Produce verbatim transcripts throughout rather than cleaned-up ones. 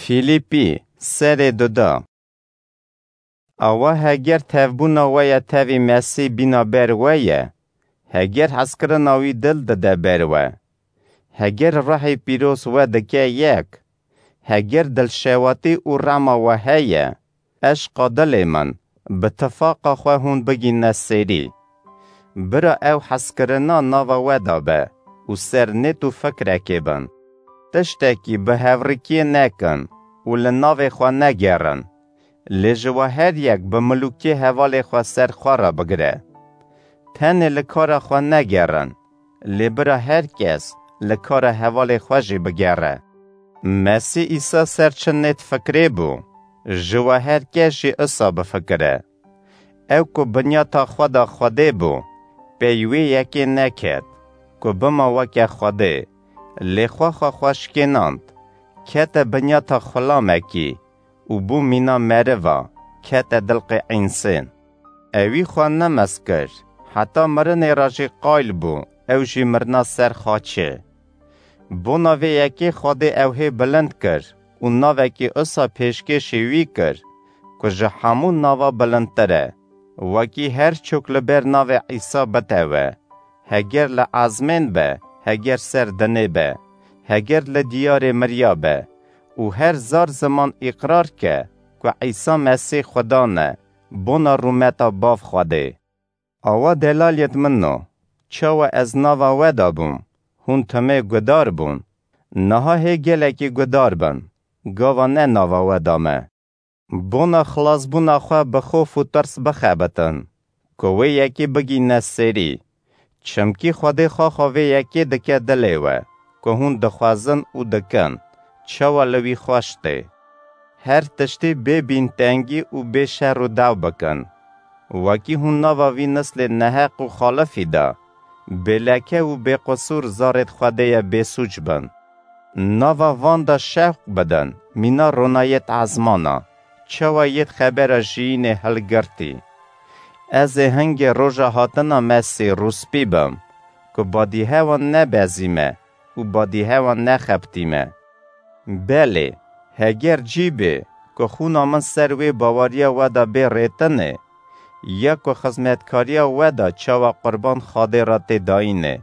Fîlîpî serê duda. Awa heger tevbûna we ya tevî Mesîh bîna ber we ye, heger hezkirina wî dil dide ber we, heger Ruhê Pîroz we dike yek, heger dilşewatî û rema we heye, eşqa dilê min, bi tifaqa xwe hûn bigîne sêrî. Bira ew hezkirina nava we de be û ser nêt û fikrekê bin. Tiştekî bi hevrikiyê nekin û li navê xwe negerin. Lê ji we her yek bi milûkê hevalê xwe ser xwe re bigire. Tenê li kara xwe negerin, lê bira her kes li kara hevalê xwe jî bigere. Mesîh Îsa ser çi nêt fikrê bû, ji we her kes jî isa bifikire. Ew ku binyata xwe da Xwedê bû, pey wê yekê neket, ku bima weke Xwedê, lê xwe xwe xwe şikênand, kete binyata xulamekî û bû mîna meriva, kete dilqê însên. Ewî xwe nemez kir, heta mirinê re jî qayl bû, ew jî mirina ser xaçê. Bona vê yekê Xwedê ew hê bilind kir û navekî isa pêşkêşî wî kir, ku ji hemû nava bilindtir e, wekî her çok li ber navê Îsa bitewe, heger li ezmên be, heger ser dinê be, heger li diyarê miriya be û her zar ziman îqrar ke ku Îsa Mesîh Xudan e, bona rûmeta Bav Xwedê. Awa delaliyet min o, çawa ez nava we da bûm, hûn timê gudar bûn, niha hê gelekî gudar bin, gava ne nava we da me. Bona xilasbûna xwe bi xof û tirs bixebitin, ku wê yekê bigîne serî. Çimkî Xwedê xwexa vê yekê dike dilê we, ku hûn dixwazin û dikin, çawa li wî xweş tê. Her tiştî bê bîntengî û bê şer û daw bikin. Wekî hûn nava vî nislê neheq û xalifî de, bêleke û bêqisûr zarêt Xwedê ye bêsûc bin. Nava van de şewq bidin, mîna ronayêt ezmana, çawa yêt xebera jiyînê hilgirtî. Ez ê hingê roja hatina Mesî rûspî bim, ku badîhewan nebezîme û badîhewan nexebitîme. Belê, heger cî bê, ku xûna min ser wê bawariya we de bê rêtinê, ya ku xizmetkariya we de çawa qurban Xwedê re tê dayînê,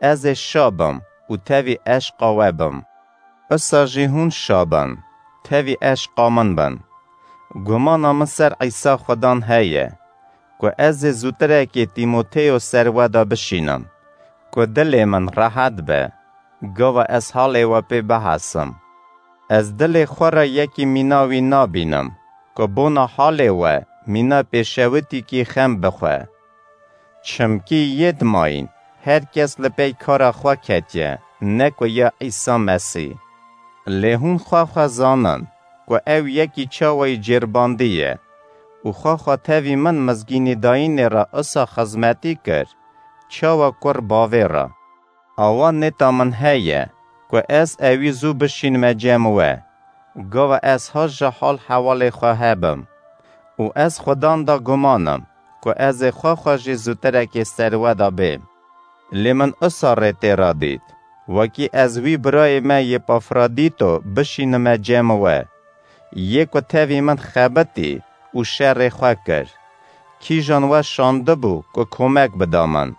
ez ê şa bim û tevî eşqa we bim. Isa jî hûn şa bin, tevî eşqa min bin. Gumana min ser Îsa Xudan heye, ku ez ê zûtirekê Tîmoteyo ser we de bişînim, ku dilê min rehet be, gava ez halê we pê bihesim. Ez dilê xwe re yekî mîna wî nabînim, ku bona halê we mîna pêşewitîkî xem bixwe. Çimkî yêt mayîn, her kes li pey kara xwe ketiye, ne ku ya Îsa Mesî. Lê hûn xwe xwe zanin, ku ew yekî çawayî cêrbandî ye û xwe xwe tevî min mizgînî dayînê re isa xizmetî kir, çawa kur bavê re. Awa nêta min heye, ku ez ewî zû bişînime cem we, gava ez ha ji hal hewalê xwe hebim. Û ez Xudan da guman im, ku ez ê xwe xwe jî zûtirekê ser we da bêm. Lê min isa rê tê ra dît, wekî ez wî birayê me Yêpafrodîto bişînime cem we, yê ku tevî min xebitî û şerê xwe kir. Kîjan we şandibû ku komek bida min?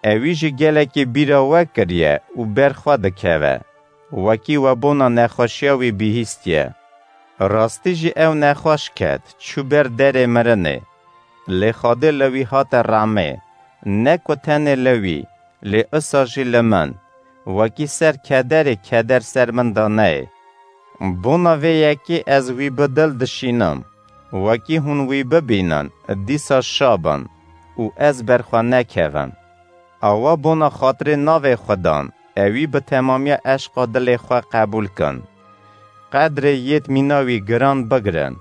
Ewî jî gelekî bîra we kiriye û ber xwe dikeve, wekî we bona nexweşiya wî bihîstiye. Rastî jî ew nexweş ket, çû ber derê mirinê. Lê Xwedê li wî hate remê, ne ku tenê li wî, lê isa jî li min, wekî ser kederê keder ser min da neyê. Bona vê yekê ez wî bi dil dişînim, wekî hûn wî bibînin, dîsa şa bin û ez ber xwe nekevim. Awa bona xatirê navê Xudan, ewî bi temamiya eşqa dilê xwe qebûl kin. Qedrê yêt mîna wî giran bigirin,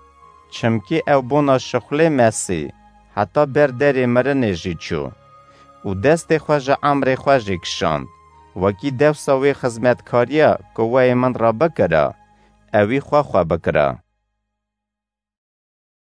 çimkî ew bona şixulê Mesî, heta ber derê mirinê jî çû û destê xwe ji emrê xwe jî kişand, wekî dewsa wê xizmetkariya ku weyê min re bikira, ewî xwe xwe bikira.